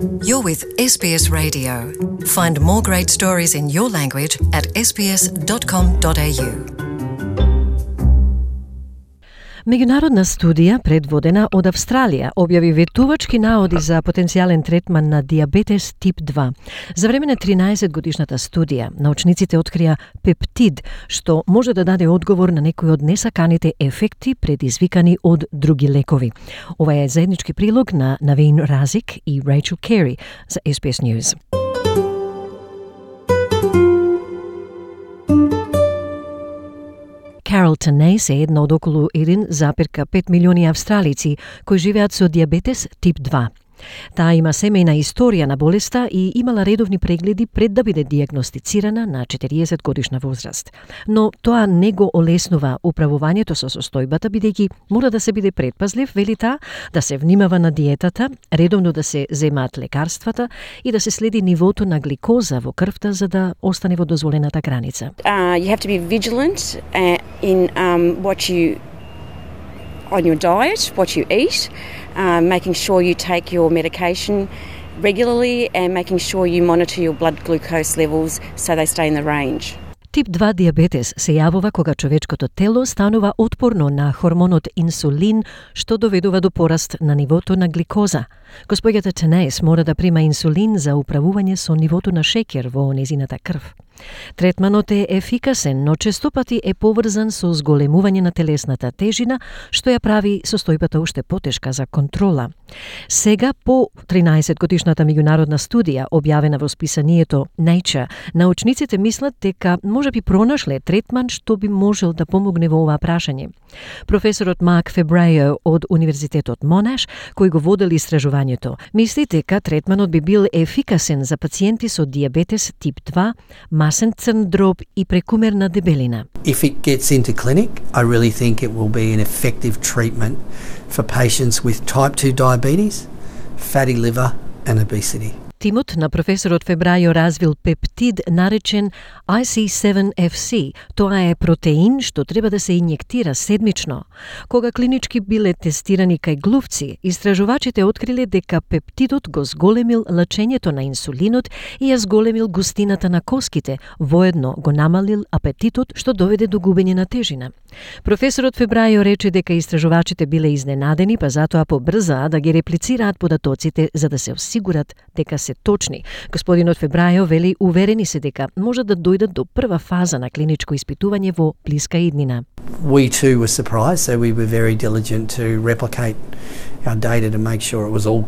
You're with SBS Radio. Find more great stories in your language at sbs.com.au. Меѓународна студија, предводена од Австралија, објави ветувачки наоди за потенцијален третман на диабетес тип 2. За време на 13-годишната студија, научниците открија пептид, што може да даде одговор на некои од несаканите ефекти предизвикани од други лекови. Ова е заеднички прилог на Навин Разик и Рейчел Кери за SBS News. Carol Tanase е една од околу 1,5 милиони австралици кои живеат со диабетес тип 2. Таа има семејна историја на болеста и имала редовни прегледи пред да биде дијагностицирана на 40 годишна возраст. Но тоа не го олеснува управувањето со состојбата, бидејќи мора да се биде предпазлив, вели таа, да се внимава на диетата, редовно да се земаат лекарствата и да се следи нивото на гликоза во крвта за да остане во дозволената граница. You have to be vigilant in on your diet, what you eat, making sure you take your medication regularly and making sure you monitor your blood glucose levels so they stay in the range. Тип 2 диабетес се јавува кога човечкото тело станува отпорно на хормонот инсулин, што доведува до пораст на нивото на гликоза. Господјата Танейс мора да прима инсулин за управување со нивото на шеќер во незината крв. Третманот е ефикасен, но честопати е поврзан со зголемување на телесната тежина, што ја прави состојбата уште потешка за контрола. Сега, по 13-годишната меѓународна студија, објавена во списанието Nature, научниците мислат дека можеби пронашле третман што би можел да помогне во ова прашање. Професорот Марк Фебрајо од Универзитетот Монаш, кој го водел истражувањето, мисли дека третманот би бил ефикасен за пациенти со диабетес тип 2, масен црн дроб и прекумерна дебелина. If it gets into clinic, I really think it will be an effective treatment for patients with type 2 diabetes, fatty liver and obesity. Тимот на професорот Фебрајо развил пептид наречен IC7FC. Тоа е протеин што треба да се инјектира седмично. Кога клинички биле тестирани кај глувци, истражувачите откриле дека пептидот го зголемил лачењето на инсулинот и ја зголемил густината на коските, воедно го намалил апетитот, што доведе до губење на тежина. Професорот Фебрајо рече дека истражувачите биле изненадени, па затоа побрзаа да ги реплицираат податоците за да се осигурат дека се точни. Господинот Фебрајо вели уверени се дека може да дојдат до прва фаза на клиничко испитување во блиска иднина. We too were surprised, so we were very diligent to replicate our data to make sure it was all,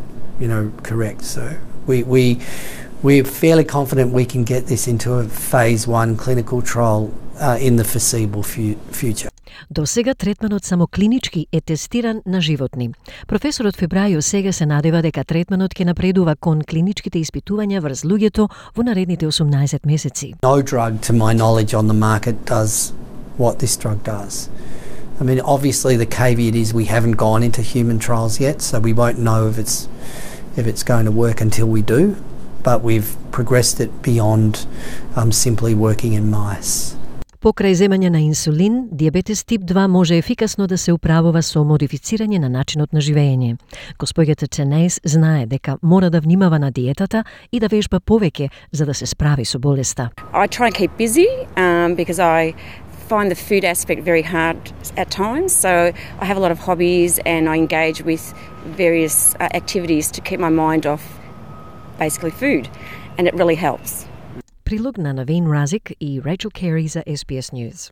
correct. So we're fairly confident we can get this into a phase 1 clinical trial in the foreseeable future. До сега третманот само клинички е тестиран на животни. Професорот Фебрајо сега се надева дека третманот ќе напредува кон клиничките испитувања врз луѓето во наредните 18 месеци. No drug, to my knowledge, on the market does what this drug does. I mean, obviously the caveat is we haven't gone into human trials yet, so we won't know if it's going to work until we do, but we've progressed it beyond simply working in mice. Покрај земање на инсулин, диабетес тип 2 може ефикасно да се управува со модифицирање на начинот на живење. Господјата Танейс знае дека мора да внимава на диетата и да вежба повеќе за да се справи со болеста. I try and keep busy because I find the food aspect very hard at times, so I have a lot of hobbies and I engage with various activities to keep my mind off basically food, and it really helps. Прилог на Навин Разик и Рейчел Кери за SBS News.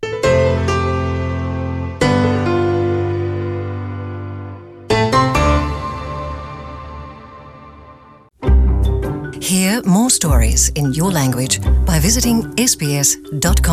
Hear more stories in your language by visiting sbs.com.au.